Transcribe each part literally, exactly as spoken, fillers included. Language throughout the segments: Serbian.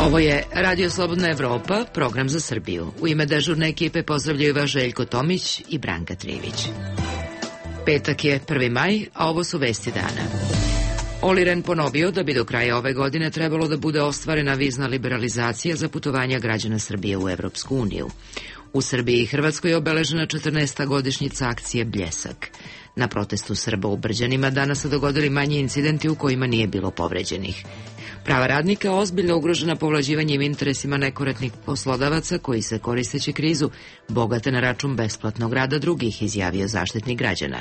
Ovo je Radio Slobodna Evropa, program za Srbiju. U ime dežurne ekipe pozdravljaju vas Željko Tomić i Branka Trivić. Petak je prvi maj, a ovo su vesti dana. Olli Rehn ponovio da bi do kraja ove godine trebalo da bude ostvarena vizna liberalizacija za putovanja građana Srbije u Evropsku uniju. U Srbiji i Hrvatskoj je obeležena četrnaesta godišnjica akcije Bljesak. Na protestu Srba u Brđanima danas se dogodili manji incidenti u kojima nije bilo povređenih. Prava radnika ozbiljno ugrožena povlađivanjem interesima nekorektnih poslodavaca koji se, koristeći krizu, bogate na račun besplatnog rada drugih, izjavio Zaštitnik građana.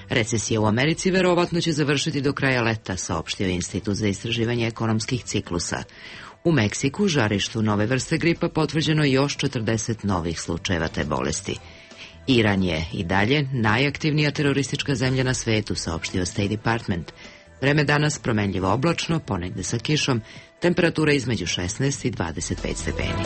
Recesija u Americi verovatno će završiti do kraja leta, saopštio Institut za istraživanje ekonomskih ciklusa. U Meksiku, žarištu nove vrste gripa, potvrđeno još četrdeset novih slučajeva te bolesti. Iran je i dalje najaktivnija teroristička zemlja na svetu, saopštio State Department. Vreme danas promenljivo oblačno, ponegde sa kišom, temperatura između šesnaest i dvadeset pet stepeni.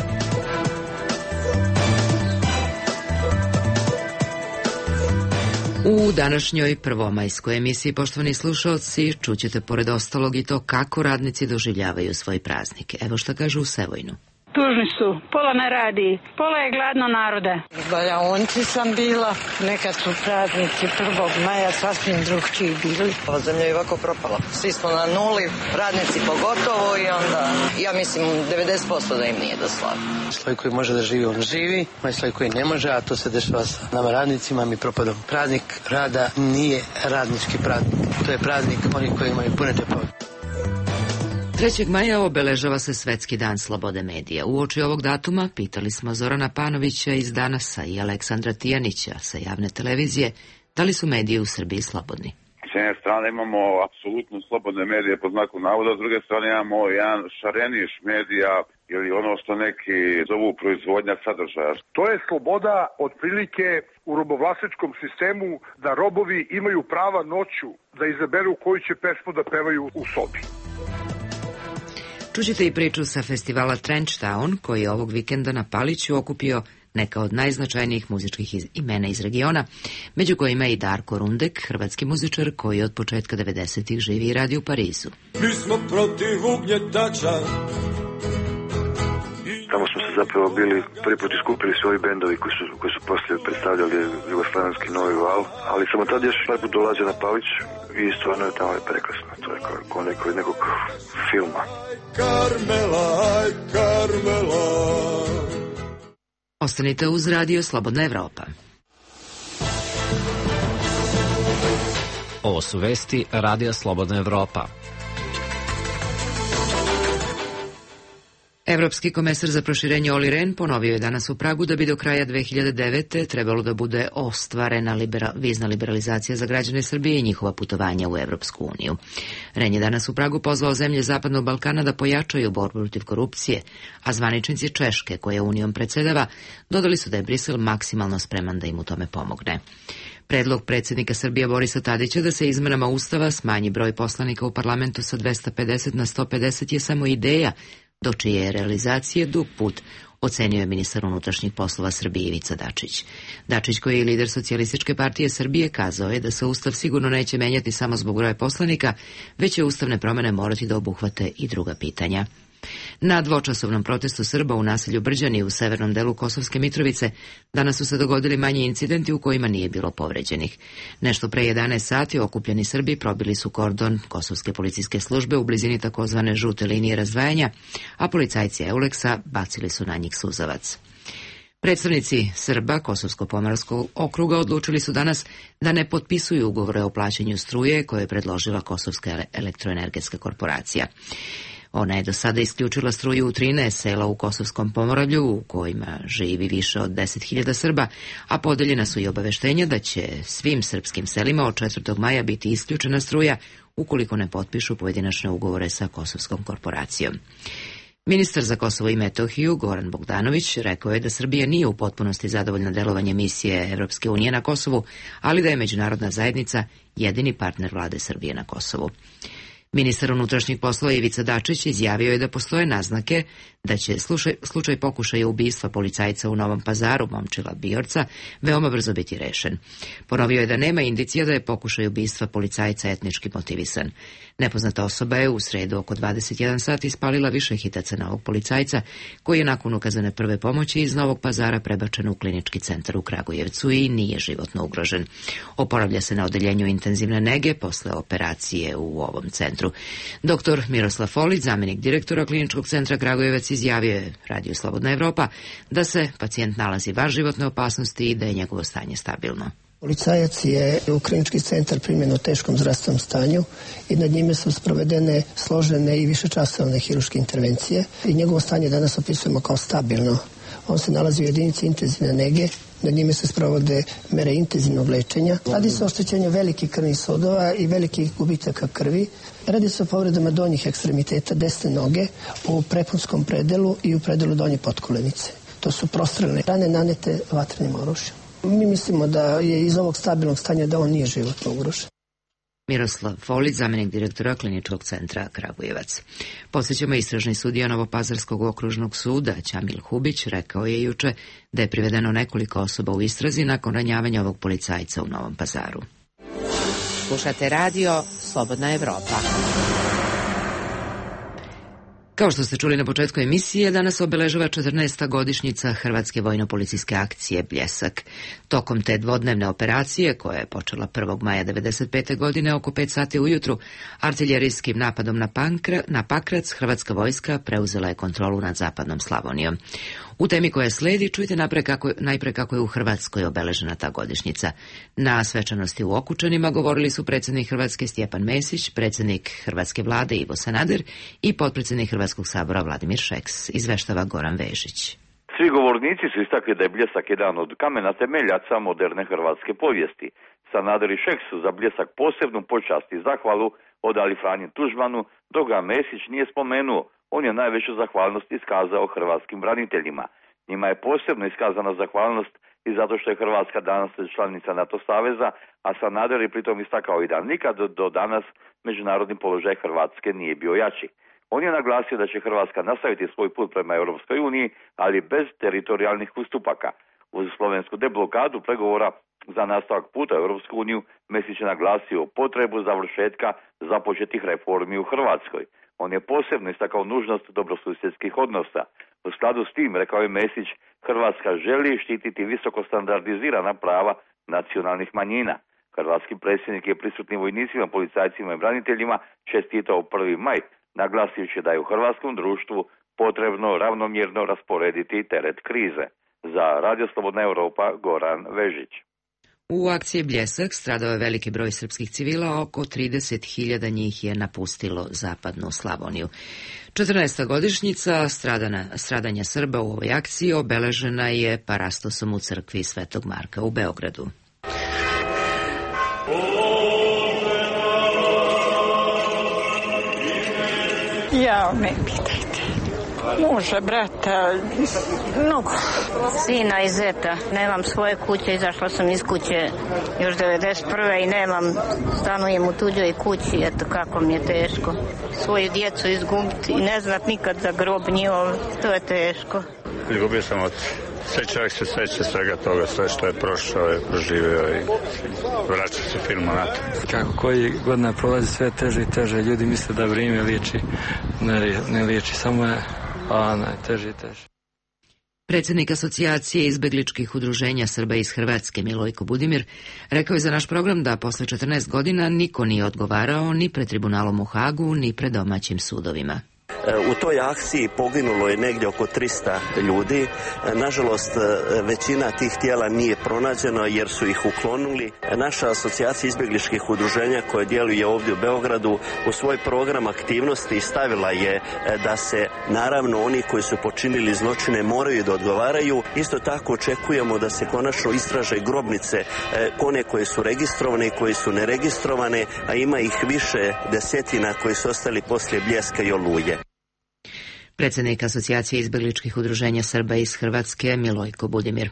U današnjoj prvomajskoj emisiji, poštovani slušalci, čućete pored ostalog i to kako radnici doživljavaju svoj praznik. Evo šta kažu u Sevojnu. Tužni su, pola ne radi, pola je gladno narode. Baljaonci sam bila, nekad su praznici prvog maja sasvim drugčiji bili. Ova zemlja je ovako propala. Svi smo na nuli, radnici pogotovo i onda, ja mislim, devedeset posto da im nije do slave. Sloj koji može da živi, on živi, onaj sloj koji ne može, a to se dešava sa nama radnicima, mi propadamo. Praznik rada nije radnički praznik, to je praznik onih koji imaju pune džepove. trećeg maja obeležava se Svetski dan slobode medija. Uoči ovog datuma pitali smo Zorana Panovića iz Danasa i Aleksandra Tijanića sa javne televizije da li su mediji u Srbiji slobodni. S jedne strane imamo apsolutno slobodne medije pod znakom navoda, s druge strane imamo jedan šareniš medija ili ono što neki zovu proizvodnja sadržaja. To je sloboda otprilike u robovlasničkom sistemu da robovi imaju prava noću da izaberu koju će pesmu da pevaju u sobi. Čućete i priču sa festivala Trench Town, koji je ovog vikenda na Paliću okupio neka od najznačajnijih muzičkih imena iz regiona, među kojima je i Darko Rundek, hrvatski muzičar koji od početka devedesetih živi i radi u Parizu. Mi smo protiv ugnjetača. Tamo smo se zapravo bili prvi put iskupili svoji bendovi koji su, koji su poslije predstavljali jugoslavenski novi val, ali samo tad još prvi put dolaze na Palić i stvarno je tamo je prekrasno, to je kao, kao neko, nekog filma. Karmela, aj Karmela. Ostanite uz Radio Slobodna Evropa. Ovo su vesti Radija Slobodna Evropa. Evropski komesar za proširenje Olli Rehn ponovio je danas u Pragu da bi do kraja dve hiljade devete. trebalo da bude ostvarena libera, vizna liberalizacija za građane Srbije i njihova putovanja u Evropsku uniju. Rehn je danas u Pragu pozvao zemlje Zapadnog Balkana da pojačaju borbu protiv korupcije, a zvaničnici Češke, koja unijom predsedava, dodali su da je Brisel maksimalno spreman da im u tome pomogne. Predlog predsjednika Srbije Borisa Tadića da se izmenama Ustava smanji broj poslanika u parlamentu sa dvesta pedeset na sto pedeset je samo ideja, do čije je realizacije dug put, ocenio je ministar unutrašnjih poslova Srbije Ivica Dačić. Dačić, koji je lider Socijalističke partije Srbije, kazao je da se Ustav sigurno neće menjati samo zbog broja poslanika, već će ustavne promene morati da obuhvate i druga pitanja. Na dvočasovnom protestu Srba u naselju Brđani u severnom delu Kosovske Mitrovice danas su se dogodili manji incidenti u kojima nije bilo povređenih. Nešto pre jedanaest sati okupljeni Srbi probili su kordon Kosovske policijske službe u blizini takozvane žute linije razdvajanja, a policajci Euleksa bacili su na njih suzavac. Predstavnici Srba Kosovsko-Pomorskog okruga odlučili su danas da ne potpisuju ugovore o plaćanju struje koje je predložila Kosovska elektroenergetska korporacija. Ona je do sada isključila struju u trinaest sela u Kosovskom Pomoravlju, u kojima živi više od deset hiljada Srba, a podeljena su i obaveštenja da će svim srpskim selima od četvrtog maja biti isključena struja ukoliko ne potpišu pojedinačne ugovore sa Kosovskom korporacijom. Ministar za Kosovo i Metohiju, Goran Bogdanović, rekao je da Srbija nije u potpunosti zadovoljna delovanje misije Evropske unije na Kosovu, ali da je međunarodna zajednica jedini partner vlade Srbije na Kosovu. Ministar unutrašnjih poslova Ivica Dačić izjavio je da postoje naznake da će slučaj, slučaj pokušaja ubistva policajca u Novom Pazaru, Momčila Bijorca, veoma brzo biti rešen. Ponovio je da nema indicija da je pokušaj ubistva policajca etnički motivisan. Nepoznata osoba je u sredu oko dvadeset jedan sat ispalila više hitaca na ovog policajca, koji je nakon ukazane prve pomoći iz Novog Pazara prebačen u klinički centar u Kragujevcu i nije životno ugrožen. Oporavlja se na odeljenju intenzivne nege posle operacije u ovom centru. Doktor Miroslav Folić, zamenik direktora kliničkog centra Kragujevac, izjavio je Radiju Slobodna Evropa da se pacijent nalazi van životne opasnosti i da je njegovo stanje stabilno. Policajac je u klinički centar primljen u teškom zdravstvenom stanju i nad njime su sprovedene složene i višečasovne hirurške intervencije i njegovo stanje danas opisujemo kao stabilno. On se nalazi u jedinici intenzivne nege, nad njime se sprovode mere intenzivnog lečenja. Radi se o oštećenju velikih krvnih sudova i velikih gubitaka krvi. Radi se o povredama donjih ekstremiteta desne noge u prepunskom predelu i u predelu donje potkolenice. To su prostrelne rane nanete vatrenim oružjem. Mi mislimo da je iz ovog stabilnog stanja da on nije životno ugrožen. Miroslav Folić, zamenik direktora kliničkog centra Kragujevac. Posjećamo istražni sudija Novopazarskog okružnog suda Ćamil Hubić rekao je juče da je privedeno nekoliko osoba u istrazi nakon ranjavanja ovog policajca u Novom Pazaru. Slušate radio Slobodna Evropa. Kao što ste čuli na početku emisije, danas obeležava četrnaesta godišnjica Hrvatske vojno-policijske akcije Bljesak. Tokom te dvodnevne operacije, koja je počela prvog maja devedeset pete godine oko pet sati ujutru, artiljerijskim napadom na, Pankra, na Pakrac, Hrvatska vojska preuzela je kontrolu nad zapadnom Slavonijom. U temi koja sledi čujte najpre kako, najpre kako je u Hrvatskoj obeležena ta godišnjica. Na svečanosti u Okučanima govorili su predsjednik Hrvatske Stjepan Mesić, predsjednik Hrvatske vlade Ivo Sanader i potpredsjednik Hrvatskog sabora Vladimir Šeks, izveštava Goran Vežić. Svi govornici su istakli da je Bljesak jedan od kamena temeljaca moderne hrvatske povijesti. Sanader i Šeks su za Bljesak posebnu počast i zahvalu odali Franji Tuđmanu, dok ga Mesić nije spomenuo. On je najveću zahvalnost iskazao hrvatskim braniteljima. Njima je posebno iskazana zahvalnost i zato što je Hrvatska danas članica NATO saveza, a Sanader je pritom istakao i da nikad do danas međunarodni položaj Hrvatske nije bio jači. On je naglasio da će Hrvatska nastaviti svoj put prema Europskoj uniji, ali bez teritorijalnih ustupaka. Uz slovensku deblokadu pregovora za nastavak puta u Europsku uniju, Mesić je naglasio potrebu završetka započetih reformi u Hrvatskoj. On je posebno istakao nužnost dobrosusjedskih odnosa. U skladu s tim, rekao je Mesić, Hrvatska želi štititi visoko standardizirana prava nacionalnih manjina. Hrvatski predsjednik je prisutnim vojnicima, policajcima i braniteljima čestitao prvi maj, naglasivši da je u hrvatskom društvu potrebno ravnomjerno rasporediti teret krize. Za Radio Slobodna Evropa, Goran Vežić. U akciji Bljesak stradao je veliki broj srpskih civila, oko trideset hiljada njih je napustilo zapadnu Slavoniju. četrnaesta godišnjica stradana, stradanja Srba u ovoj akciji obeležena je parastosom u crkvi Svetog Marka u Beogradu. Ja, ne pitajte. Muža, brata, mnogo. Sina i zeta. Nemam svoje kuće, izašla sam iz kuće još devedeset prve i nemam, stanujem u tuđoj kući, eto kako mi je teško. Svoju djecu izgubiti i ne znat nikad za grob njihov, to je teško. Izgubio sam od sve čovjek se seća svega toga, sve što je prošao i proživio i vraća se filmu na to. Kako koji godina prolazi sve teže i teže, ljudi misle da vrijeme liječi, ne, ne liječi, samo je a najteže i teže. Predsjednik asocijacije izbegličkih udruženja Srba iz Hrvatske Milojko Budimir rekao je za naš program da posle četrnaest godina niko nije odgovarao ni pred tribunalom u Hagu, ni pred domaćim sudovima. U toj akciji poginulo je negdje oko trista ljudi. Nažalost, većina tih tijela nije pronađena jer su ih uklonuli. Naša asocijacija izbjegličkih udruženja koja djeluje ovdje u Beogradu u svoj program aktivnosti stavila je da se naravno oni koji su počinili zločine moraju da odgovaraju. Isto tako očekujemo da se konačno istraže grobnice, one koje su registrovane i koje su neregistrovane, a ima ih više desetina koji su ostali poslije Bljeska i Oluje. Predsednik Asocijacije izbegličkih udruženja Srba iz Hrvatske Milojko Budimir.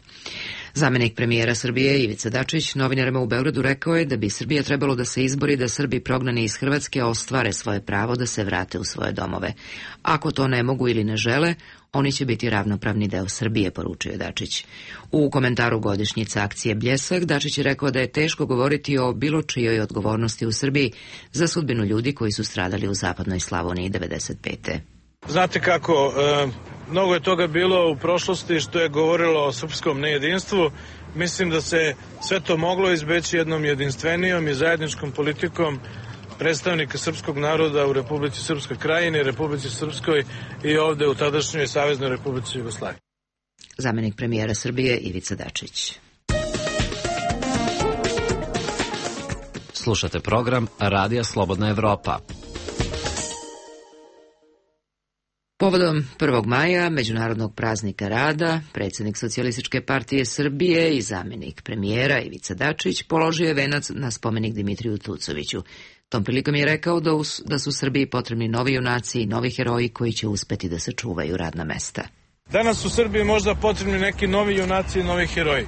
Zamenik premijera Srbije Ivica Dačić novinarima u Beogradu rekao je da bi Srbija trebalo da se izbori da Srbi prognani iz Hrvatske ostvare svoje pravo da se vrate u svoje domove. Ako to ne mogu ili ne žele, oni će biti ravnopravni deo Srbije, poručio je Dačić. U komentaru godišnjice akcije Bljesak, Dačić je rekao da je teško govoriti o bilo čijoj odgovornosti u Srbiji za sudbinu ljudi koji su stradali u zapadnoj Slavoniji devedeset pete. Znate kako, e, mnogo je toga bilo u prošlosti što je govorilo o srpskom nejedinstvu. Mislim da se sve to moglo izbeći jednom jedinstvenijom i zajedničkom politikom predstavnika srpskog naroda u Republici Srpskoj Krajini, Republici Srpskoj i ovde u tadašnjoj Saveznoj Republici Jugoslaviji. Zamenik premijera Srbije Ivica Dačić. Slušate program Radija Slobodna Evropa. Povodom prvog maja, Međunarodnog praznika rada, predsjednik Socijalističke partije Srbije i zamenik premijera Ivica Dačić položio je venac na spomenik Dimitriju Tucoviću. Tom prilikom je rekao da, us, da su Srbiji potrebni novi junaci i novi heroji koji će uspeti da sačuvaju radna mesta. Danas u Srbiji možda potrebni neki novi junaci i novi heroji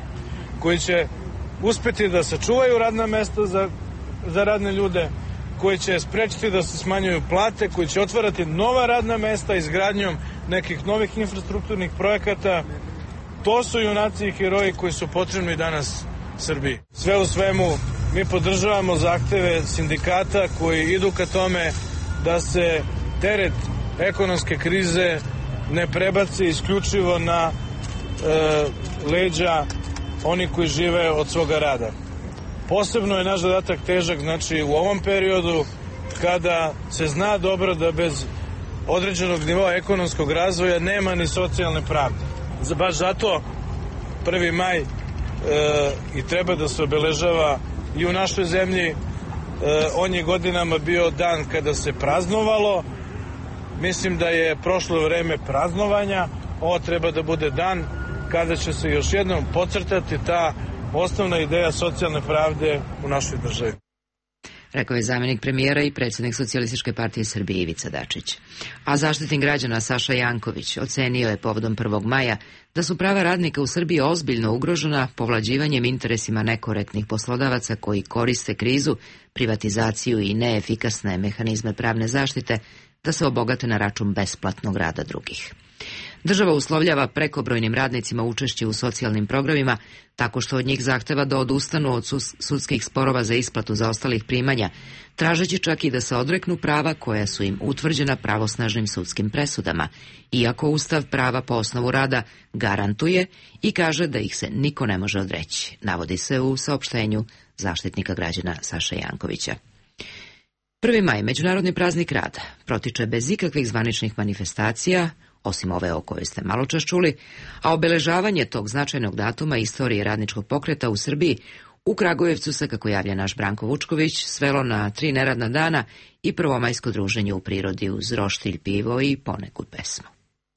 koji će uspeti da sačuvaju radna mesta za, za radne ljude, koji će sprečiti da se smanjuju plate, koji će otvarati nova radna mesta izgradnjom nekih novih infrastrukturnih projekata. To su junaci i heroji koji su potrebni danas Srbiji. Sve u svemu, mi podržavamo zahteve sindikata koji idu ka tome da se teret ekonomske krize ne prebaci isključivo na e, leđa oni koji žive od svoga rada. Posebno je naš zadatak težak, znači u ovom periodu kada se zna dobro da bez određenog nivoa ekonomskog razvoja nema ni socijalne pravde. Baš zato prvi maj e, i treba da se obeležava i u našoj zemlji. E, on je godinama bio dan kada se praznovalo. Mislim da je prošlo vreme praznovanja. Ovo treba da bude dan kada će se još jednom podcrtati ta osnovna ideja socijalne pravde u našoj državi. Rekao je zamenik premijera i predsjednik Socijalističke partije Srbije Ivica Dačić. A Zaštitnik građana Saša Janković ocenio je povodom prvog maja da su prava radnika u Srbiji ozbiljno ugrožena povlađivanjem interesima nekorektnih poslodavaca koji koriste krizu, privatizaciju i neefikasne mehanizme pravne zaštite da se obogate na račun besplatnog rada drugih. Država uslovljava prekobrojnim radnicima učešće u socijalnim programima tako što od njih zahteva da odustanu od sudskih sporova za isplatu zaostalih primanja, tražeći čak i da se odreknu prava koja su im utvrđena pravosnažnim sudskim presudama, iako Ustav prava po osnovu rada garantuje i kaže da ih se niko ne može odreći, navodi se u saopštenju Zaštitnika građana Saše Jankovića. Prvi maj, Međunarodni praznik rada, protiče bez ikakvih zvaničnih manifestacija, osim ove o kojoj ste malo čas čuli, a obeležavanje tog značajnog datuma istorije radničkog pokreta u Srbiji u Kragujevcu se, kako javlja naš Branko Vučković, svelo na tri neradna dana i prvomajsko druženje u prirodi uz roštilj, pivo i ponekud pesmu.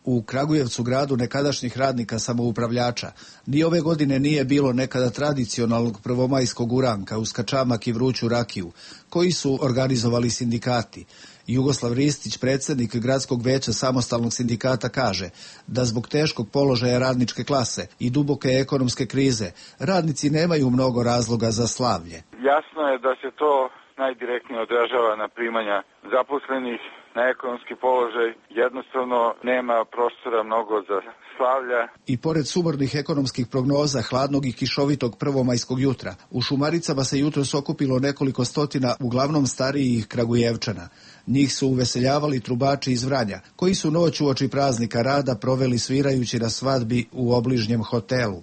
U Kragujevcu, gradu nekadašnjih radnika samoupravljača, ni ove godine nije bilo nekada tradicionalnog prvomajskog uranka uz kačamak i vruću rakiju, koji su organizovali sindikati. Jugoslav Ristić, predsjednik Gradskog veća samostalnog sindikata, kaže da zbog teškog položaja radničke klase i duboke ekonomske krize radnici nemaju mnogo razloga za slavlje. Jasno je da se to najdirektnije odražava na primanja zaposlenih, na ekonomski položaj, jednostavno nema prostora mnogo za slavlja. I pored sumornih ekonomskih prognoza hladnog i kišovitog prvomajskog jutra, u Šumaricama se jutros okupilo nekoliko stotina uglavnom starijih Kragujevčana. Njih su uveseljavali trubači iz Vranja, koji su noć uoči praznika rada proveli svirajući na svadbi u obližnjem hotelu.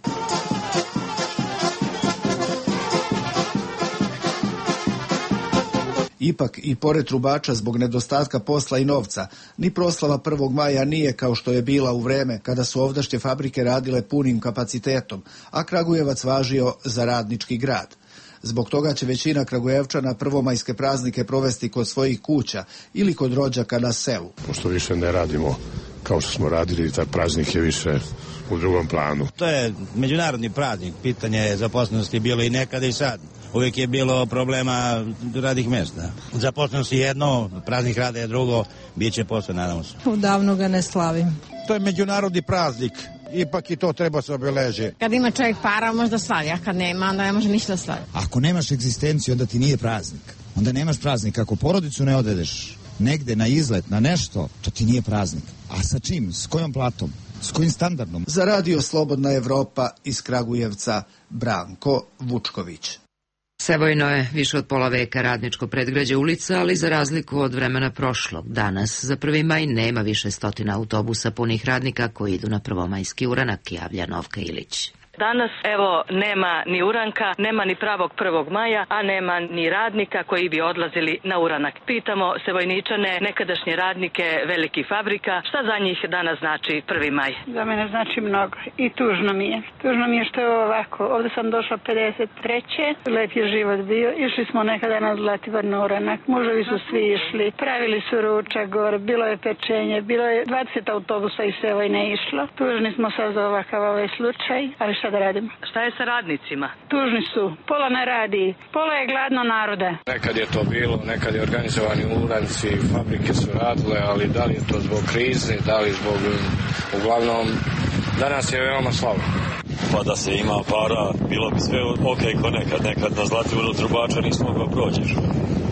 Ipak, i pored trubača zbog nedostatka posla i novca, ni proslava prvog maja nije kao što je bila u vreme kada su ovdašnje fabrike radile punim kapacitetom, a Kragujevac važio za radnički grad. Zbog toga će većina Kragujevčana prvomajske praznike provesti kod svojih kuća ili kod rođaka na selu. Pošto više ne radimo kao što smo radili, taj praznik je više u drugom planu. To je međunarodni praznik, pitanje zaposlenosti bilo i nekada i sad. uvijek je bilo problema radnih mjesta. Zaposlenost je jedno, praznik rada je drugo, bit će posle, nadamo se. Davno ga ne slavim. To je međunarodni praznik, ipak i to treba se obeležiti. Kad ima čovjek para, možda slavi, a kad nema, onda ne može ništa slavi. Ako nemaš egzistenciju, onda ti nije praznik. Onda nemaš praznik. Ako porodicu ne odvedeš negde na izlet, na nešto, to ti nije praznik. A sa čim? S kojom platom? S kojim standardom? Za radio Slobodna Evropa iz Kragujevca, Branko Vučković. Sevojno je više od pola veka radničko predgrađe ulica, ali za razliku od vremena prošlog, danas za prvi maj nema više stotina autobusa punih radnika koji idu na prvomajski uranak, javlja Novka Ilić. Danas, evo, nema ni uranka, nema ni pravog prvog maja, a nema ni radnika koji bi odlazili na uranak. Pitamo Sevojničane, nekadašnje radnike velikih fabrika, šta za njih danas znači prvi maj? Za mene znači mnogo i tužno mi je. Tužno mi je što je ovako. Ovde sam došla pedeset treće Lep je život bio. Išli smo nekada na Zlativar na uranak. Muževi su svi išli. Pravili su ručak gore. Bilo je pečenje. Bilo je dvadeset autobusa iz Sevojne išlo. Tužni smo sad za ovakav ovaj slučaj, ali šta da radimo? Šta je sa radnicima? Tužni su. Pola ne radi. Pola je gladno naroda. Nekad je to bilo, nekad je organizovani uranci, fabrike su radile, ali da li je to zbog krize, da li zbog... Uglavnom, danas je veoma slabo. Pa da se ima para, bilo bi sve ok ko nekad. Nekad na Zlativoru trubača nismo mogao prođeš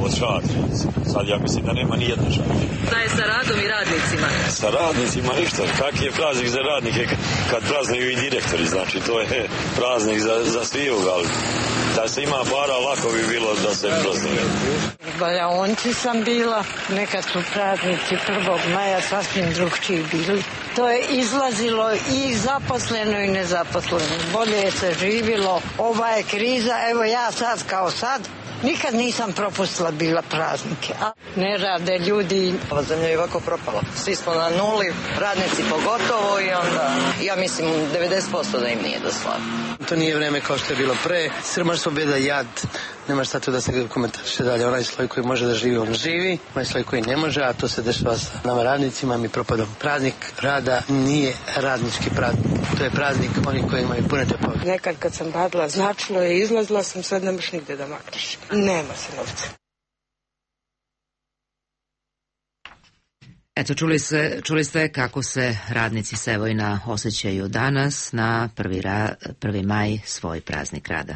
od šatrija. Sad ja mislim da nema ni jedna šatrija. Šta je sa radom i radnicima? Sa radnicima ništa. Kak je praznik za radnike kad praznaju i direktori? Znači to je praznik za, za svijog, ali da se ima para lako bi bilo da se praznuje. Baljaonci sam bila, nekad su praznici prvog maja sasvim drugčiji bili. To je izlazilo i zaposleno i nezaposleno. Bolje je se živilo, ova je kriza, evo ja sad kao sad, nikad nisam propustila bila praznike. A ne rade ljudi. Ova zemlja je ovako propala. Svi smo na nuli, radnici pogotovo i onda, ja mislim, devedeset posto da im nije do slave. To nije vreme kao što je bilo pre. Siromaštvo, beda, jad. Nema šta tu da se komentariše dalje. Onaj sloj koji može da živi, on živi. Onaj sloj koji ne može, a to se dešava sa nama radnicima, mi propadom. Praznik rada nije radnički praznik. To je praznik onih koji imaju pune džepove. Nekad kad sam radila značilo je, izlazila sam, sad nemaš nigde da makneš. Nema se novca. Eto, čuli, se, čuli ste kako se radnici Sevojna osjećaju danas na prvi, ra, prvi maj, svoj praznik rada.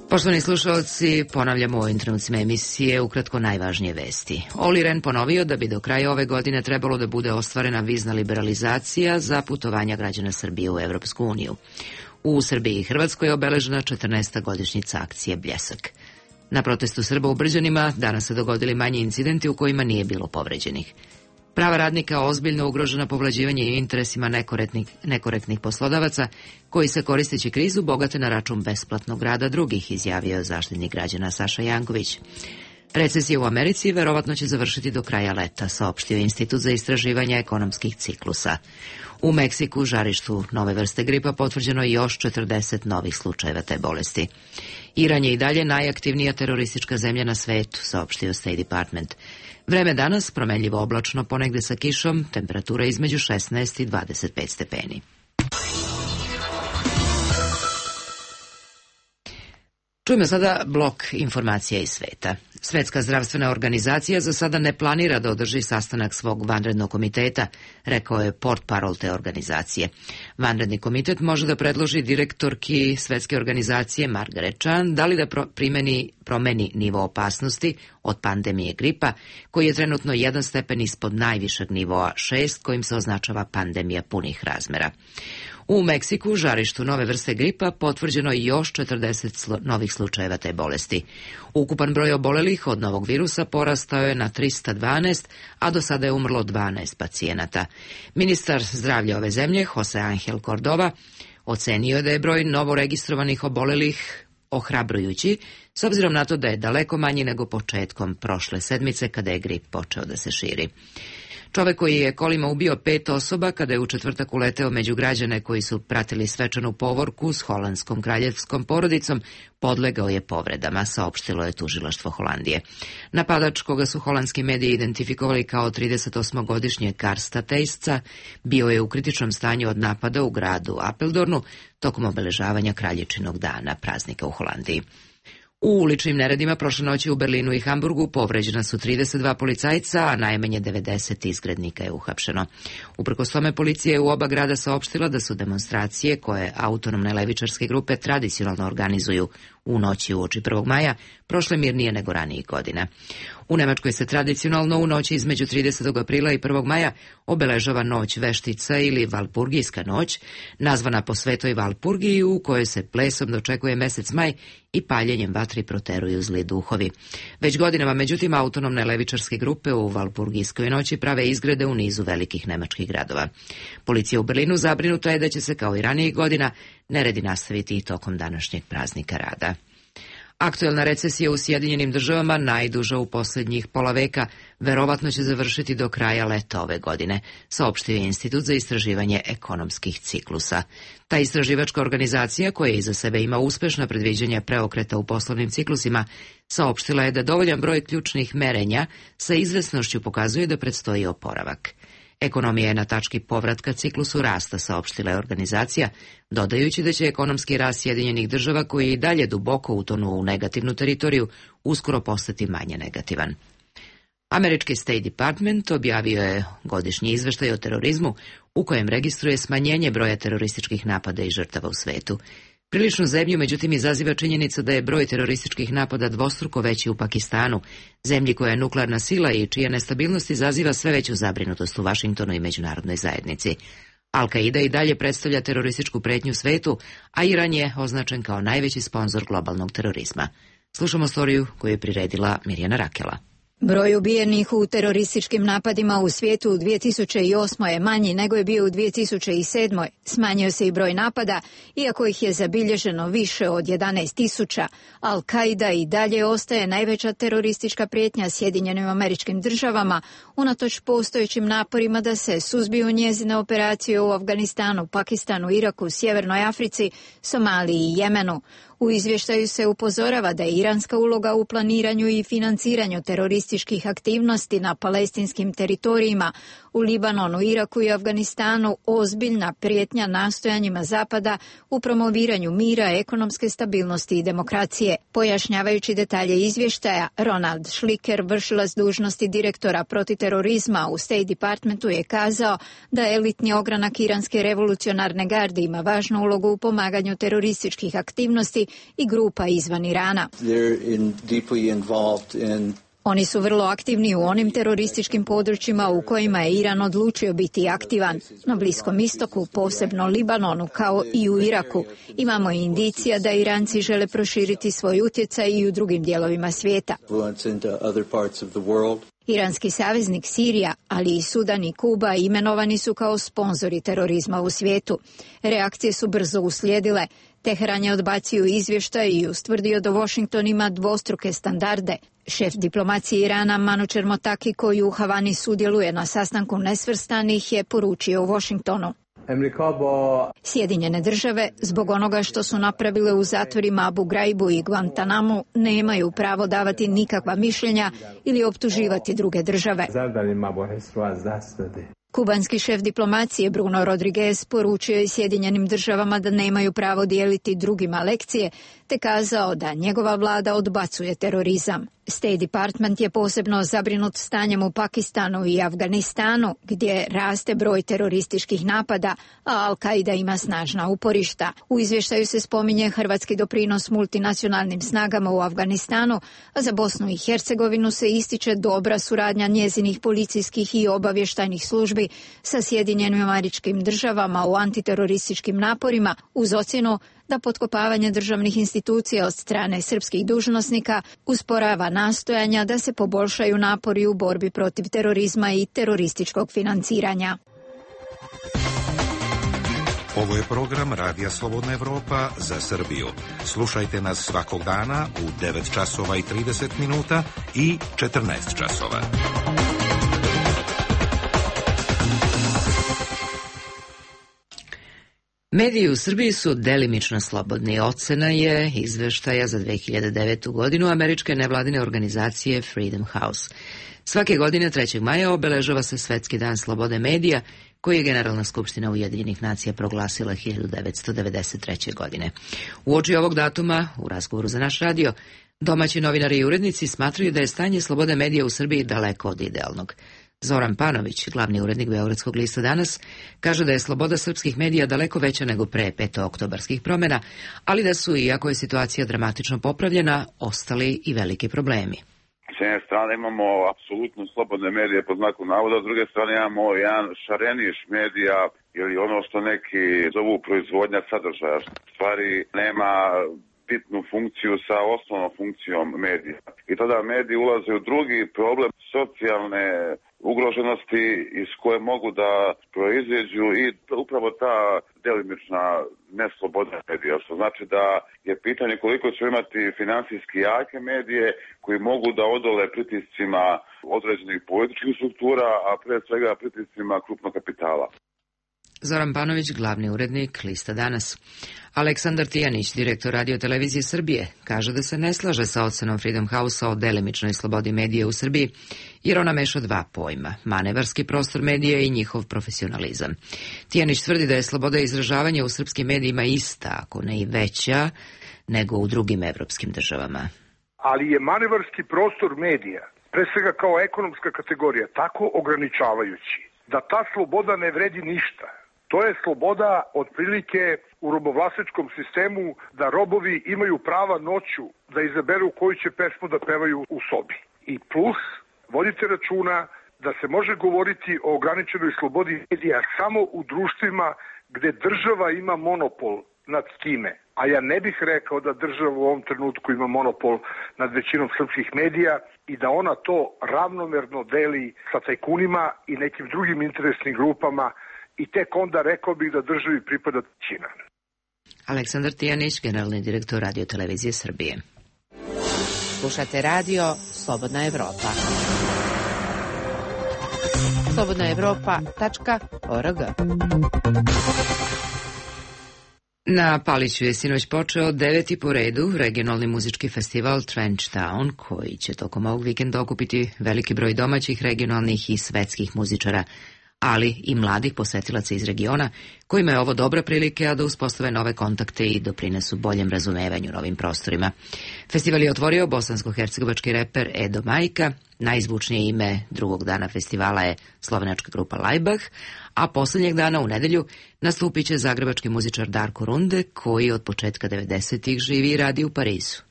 Poštovani slušalci, ponavljamo u ovim trenucima emisije ukratko najvažnije vesti. Olli Rehn ponovio da bi do kraja ove godine trebalo da bude ostvarena vizna liberalizacija za putovanja građana Srbije u Evropsku uniju. U Srbiji i Hrvatskoj je obeležena četrnaesta godišnjica akcije Bljesak. Na protestu Srba u Brđanima danas se dogodili manji incidenti u kojima nije bilo povređenih. Prava radnika ozbiljno ugrožena povlađivanje i interesima nekorektnih, nekorektnih poslodavaca koji se koristeći krizu bogate na račun besplatnog rada drugih, izjavio je zaštitnik građana Saša Janković. Recesija u Americi verovatno će završiti do kraja leta, saopštio Institut za istraživanje ekonomskih ciklusa. U Meksiku, žarištu nove vrste gripa, potvrđeno je još četrdeset novih slučajeva te bolesti. Iran je i dalje najaktivnija teroristička zemlja na svetu, saopštio State Department. Vreme danas promenljivo oblačno, ponegde sa kišom, temperatura između šesnaest i dvadeset pet stepeni. Čujemo sada blok informacija iz sveta. Svetska zdravstvena organizacija za sada ne planira da održi sastanak svog vanrednog komiteta, rekao je portparol te organizacije. Vanredni komitet može da predloži direktorki Svetske organizacije Margaret Chan da li da pro primeni, promeni nivo opasnosti od pandemije gripa, koji je trenutno jedan stepen ispod najvišeg nivoa šest, kojim se označava pandemija punih razmera. U Meksiku, žarištu nove vrste gripa, potvrđeno je još četrdeset slo novih slučajeva te bolesti. Ukupan broj obolelih od novog virusa porastao je na trista dvanaest, a do sada je umrlo dvanaest pacijenata. Ministar zdravlja ove zemlje, Jose Angel Cordova, ocenio je da je broj novoregistrovanih obolelih ohrabrujući, s obzirom na to da je daleko manji nego početkom prošle sedmice kada je grip počeo da se širi. Čovek koji je kolima ubio pet osoba kada je u četvrtak uleteo među građane koji su pratili svečanu povorku s holandskom kraljevskom porodicom, podlegao je povredama, saopštilo je tužilaštvo Holandije. Napadač, koga su holandski mediji identifikovali kao tridesetosmogodišnjeg Karsta Teisca, bio je u kritičnom stanju od napada u gradu Apeldoornu tokom obeležavanja Kraljičinog dana, praznika u Holandiji. U uličnim neredima prošle noći u Berlinu i Hamburgu povređena su trideset dva policajca, a najmanje devedeset izgrednika je uhapšeno. Uprkos tome, policija je u oba grada saopštila da su demonstracije koje autonomne levičarske grupe tradicionalno organizuju u noći uoči prvog maja prošle mirnije nego ranijih godina. U Nemačkoj se tradicionalno u noći između tridesetog aprila i prvog maja obeležava noć veštica ili Valpurgijska noć, nazvana po svetoj Valpurgiji, u kojoj se plesom dočekuje mesec maj i paljenjem vatri proteruju zli duhovi. Već godinama, međutim, autonomne levičarske grupe u Valpurgijskoj noći prave izgrede u nizu velikih nemačkih gradova. Policija u Berlinu zabrinuta je da će se, kao i ranijih godina, neredi nastaviti i tokom današnjeg praznika rada. Aktuelna recesija u Sjedinjenim državama, najduža u posljednjih pola veka, verovatno će završiti do kraja leta ove godine, saopštio je Institut za istraživanje ekonomskih ciklusa. Ta istraživačka organizacija, koja iza sebe ima uspešna predviđanja preokreta u poslovnim ciklusima, saopštila je da dovoljan broj ključnih merenja sa izvesnošću pokazuje da predstoji oporavak. Ekonomija je na tački povratka ciklusu rasta, saopštila je organizacija, dodajući da će ekonomski rast Sjedinjenih država, koji i dalje duboko utonuo u negativnu teritoriju, uskoro postati manje negativan. Američki State Department objavio je godišnji izveštaj o terorizmu u kojem registruje smanjenje broja terorističkih napada i žrtava u svetu. Priličnu zemlju, međutim, izaziva činjenica da je broj terorističkih napada dvostruko veći u Pakistanu, zemlji koja je nuklearna sila i čija nestabilnost izaziva sve veću zabrinutost u Vašingtonu i međunarodnoj zajednici. Al-Qaida i dalje predstavlja terorističku pretnju svetu, a Iran je označen kao najveći sponzor globalnog terorizma. Slušamo storiju koju je priredila Mirjana Rakela. Broj ubijenih u terorističkim napadima u svijetu u dvije tisuće osmoj je manji nego je bio u dvije tisuće sedmoj. Smanjio se i broj napada, iako ih je zabilježeno više od jedanaest tisuća. Al-Qaida i dalje ostaje najveća teroristička prijetnja Sjedinjenim Američkim Državama, unatoč postojećim naporima da se suzbiju njezine operacije u Afganistanu, Pakistanu, Iraku, Sjevernoj Africi, Somaliji i Jemenu. U izvještaju se upozorava da je iranska uloga u planiranju i financiranju terorističkih aktivnosti na palestinskim teritorijima u Libanonu, Iraku i Afganistanu ozbiljna prijetnja nastojanjima Zapada u promoviranju mira, ekonomske stabilnosti i demokracije. Pojašnjavajući detalje izvještaja, Ronald Schlicker, vršilac dužnosti direktora protiterorizma u State Departmentu, je kazao da elitni ogranak iranske revolucionarne garde ima važnu ulogu u pomaganju terorističkih aktivnosti i grupa izvan Irana. Oni su vrlo aktivni u onim terorističkim područjima u kojima je Iran odlučio biti aktivan. Na Bliskom istoku, posebno Libanonu, kao i u Iraku, imamo indicija da Iranci žele proširiti svoj utjecaj i u drugim dijelovima svijeta. Iranski saveznik Sirija, ali i Sudan i Kuba imenovani su kao sponzori terorizma u svijetu. Reakcije su brzo uslijedile. Teheran je odbacio izvještaj i ustvrdio da Washington ima dvostruke standarde. Šef diplomacije Irana Manucher Motaki, koji u Havani sudjeluje na sastanku nesvrstanih, je poručio u Washingtonu: Sjedinjene države, zbog onoga što su napravile u zatvorima Abu Ghraib i Guantanamu, nemaju pravo davati nikakva mišljenja ili optuživati druge države. Kubanski šef diplomacije Bruno Rodriguez poručio je Sjedinjenim državama da nemaju pravo dijeliti drugima lekcije, te kazao da njegova vlada odbacuje terorizam. State Department je posebno zabrinut stanjem u Pakistanu i Afganistanu, gdje raste broj terorističkih napada, a Al-Qaida ima snažna uporišta. U izvještaju se spominje hrvatski doprinos multinacionalnim snagama u Afganistanu, a za Bosnu i Hercegovinu se ističe dobra suradnja njezinih policijskih i obavještajnih službi sa Sjedinjenim Američkim Državama u antiterorističkim naporima, uz ocjenu da potkopavanje državnih institucija od strane srpskih dužnosnika usporava nastojanja da se poboljšaju napori u borbi protiv terorizma i terorističkog financiranja. Ovo je program Radija Slobodna Evropa za Srbiju. Slušajte nas svakog dana u devet časova i trideset minuta i četrnaest časova. Mediji u Srbiji su delimično slobodni. Ocena je izveštaja za dve hiljade devetu godinu američke nevladine organizacije Freedom House. Svake godine trećeg maja obeležava se Svetski dan slobode medija, koji je Generalna skupština Ujedinjenih nacija proglasila hiljadu devetsto devedeset treće. godine. Uoči ovog datuma, u razgovoru za naš radio, domaći novinari i urednici smatraju da je stanje slobode medija u Srbiji daleko od idealnog. Zoran Panović, glavni urednik Beogradskog lista Danas, kaže da je sloboda srpskih medija daleko veća nego pre petooktobarskih promjena, ali da su, iako je situacija dramatično popravljena, ostali i veliki problemi. S jedne strane imamo apsolutno slobodne medije pod znakom navoda, s druge strane imamo jedan šareniš medija ili ono što neki zovu proizvodnja sadržaja, što u stvari nema bitnu funkciju sa osnovnom funkcijom medija. I tada mediji ulaze u drugi problem socijalne ugroženosti iz koje mogu da proizađu i upravo ta delimična nesloboda medija, što znači da je pitanje koliko će imati finansijski jake medije koji mogu da odole pritiscima određenih političkih struktura, a pre svega pritiscima krupnog kapitala. Zoran Panović, glavni urednik Lista Danas. Aleksandar Tijanić, direktor Radio televizije Srbije, kaže da se ne slaže sa ocenom Freedom House-a o delimičnoj slobodi medije u Srbiji, jer ona meša dva pojma, manevarski prostor medija i njihov profesionalizam. Tijanić tvrdi da je sloboda izražavanja u srpskim medijima ista, ako ne i veća, nego u drugim evropskim državama. Ali je manevarski prostor medija, pre svega kao ekonomska kategorija, tako ograničavajući da ta sloboda ne vredi ništa. To je sloboda otprilike u robovlasničkom sistemu da robovi imaju prava noću da izaberu koju će pesmu da pevaju u sobi. I plus, vodite računa da se može govoriti o ograničenoj slobodi medija samo u društvima gde država ima monopol nad time. A ja ne bih rekao da država u ovom trenutku ima monopol nad većinom srpskih medija i da ona to ravnomerno deli sa tajkunima i nekim drugim interesnim grupama i tek onda rekao bih da državi pripada trećina. Aleksandar Tijanić, generalni direktor Radio televizije Srbije. Slušate radio Slobodna Evropa. slobodna evropa tačka org. Na Paliću je sinoć počeo deveti po redu regionalni muzički festival Trench Town, koji će tokom ovog vikenda okupiti veliki broj domaćih, regionalnih i svetskih muzičara, ali i mladih posetilaca iz regiona, kojima je ovo dobra prilika da uspostave nove kontakte i doprinesu boljem razumevanju novim prostorima. Festival je otvorio bosansko-hercegovački reper Edo Majka, najzvučnije ime drugog dana festivala je slovenačka grupa Lajbah, a poslednjeg dana u nedelju nastupit će zagrebački muzičar Darko Runde, koji od početka devedesetih živi i radi u Parizu.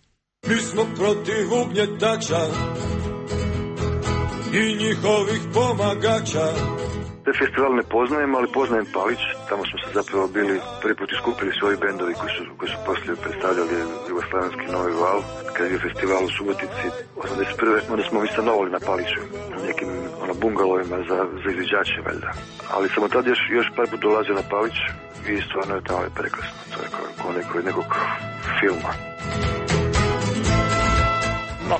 Mi smo protiv ugnjetača i njihovih pomagača. Te festival ne poznajem, ali poznajem Palić. Tamo smo se zapravo bili prvi put iskupili svoji bendovi koji su, koji su poslije predstavljali jugoslavenski Novi val. Kad je festival u Subotici osamdeset prve onda smo mi stanovali na Paliću, u nekim ono, bungalovima za, za izviđače, valjda. Ali sam od tada još, još par put dolazio na Palić i stvarno je tamo je prekrasno. To je kao, kao neko, nekog filma.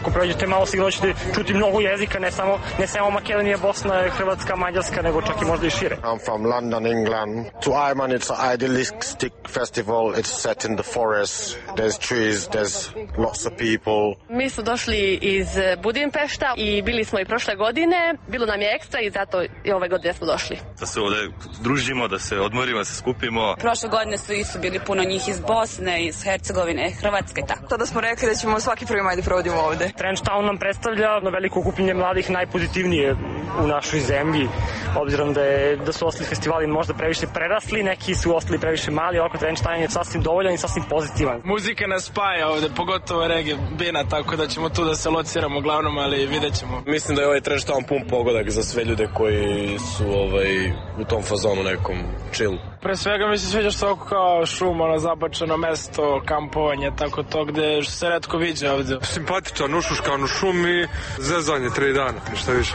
Ako prođete malo sigurno ćete čuti mnogo jezika, ne samo, ne samo Makedonija, Bosna, Hrvatska, Mađarska, nego čak i možda i šire. I'm from London, England. To Iman it's an idealistic festival. It's set in the forest. There's trees, there's lots of people. Mi smo došli iz Budimpešta i bili smo i prošle godine. Bilo nam je ekstra i zato i ove godine smo došli. Da se ovde družimo, da se odmorimo, da se skupimo. Prošle godine su isto bili puno njih iz Bosne, iz Hercegovine, Hrvatske i tako. Tada smo rekli da ćemo svaki prvi maj da provodimo ovde. Trench Town nam predstavlja na veliko okupljenje mladih najpozitivnije u našoj zemlji, obzirom da, je, da su ostali festivali možda previše prerasli, neki su ostali previše mali, oko Trench Town je sasvim dovoljan i sasvim pozitivan. Muzika nas spaja ovde, pogotovo reggae bina, tako da ćemo tu da se lociramo uglavnom, ali vidjet ćemo. Mislim da je ovaj Trench Town pun pogodak za sve ljude koji su ovaj, u tom fazonu nekom chill. Pre svega mi se sviđa što oko kao šum, ono zabačeno mesto, kampovanje, tako to gde se retko viđe ovde. Simpatičan, ušuškan u šum i zezanje tri dana, ništa više.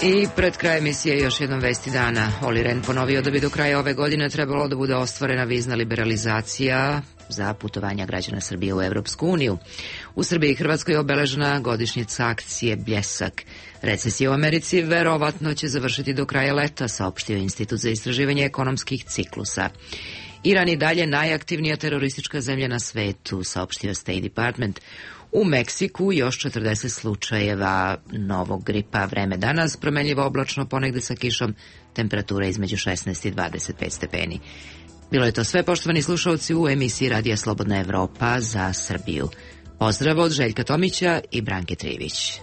I pred kraj emisije još jednom vesti dana. Olli Rehn ponovio da bi do kraja ove godine trebalo da bude ostvarena vizna liberalizacija za putovanja građana Srbije u Evropsku uniju. U Srbiji i Hrvatskoj je obeležena godišnjica akcije Bljesak. Recesija u Americi verovatno će završiti do kraja leta, saopštio Institut za istraživanje ekonomskih ciklusa. Iran i dalje najaktivnija teroristička zemlja na svetu, saopštio State Department. U Meksiku još četrdeset slučajeva novog gripa. Vreme danas promenljivo oblačno, ponegde sa kišom, temperatura između šesnaest i dvadeset pet stepeni. Bilo je to sve, poštovani slušalci, u emisiji Radija Slobodna Evropa za Srbiju. Pozdrav od Željka Tomića i Branke Trivić.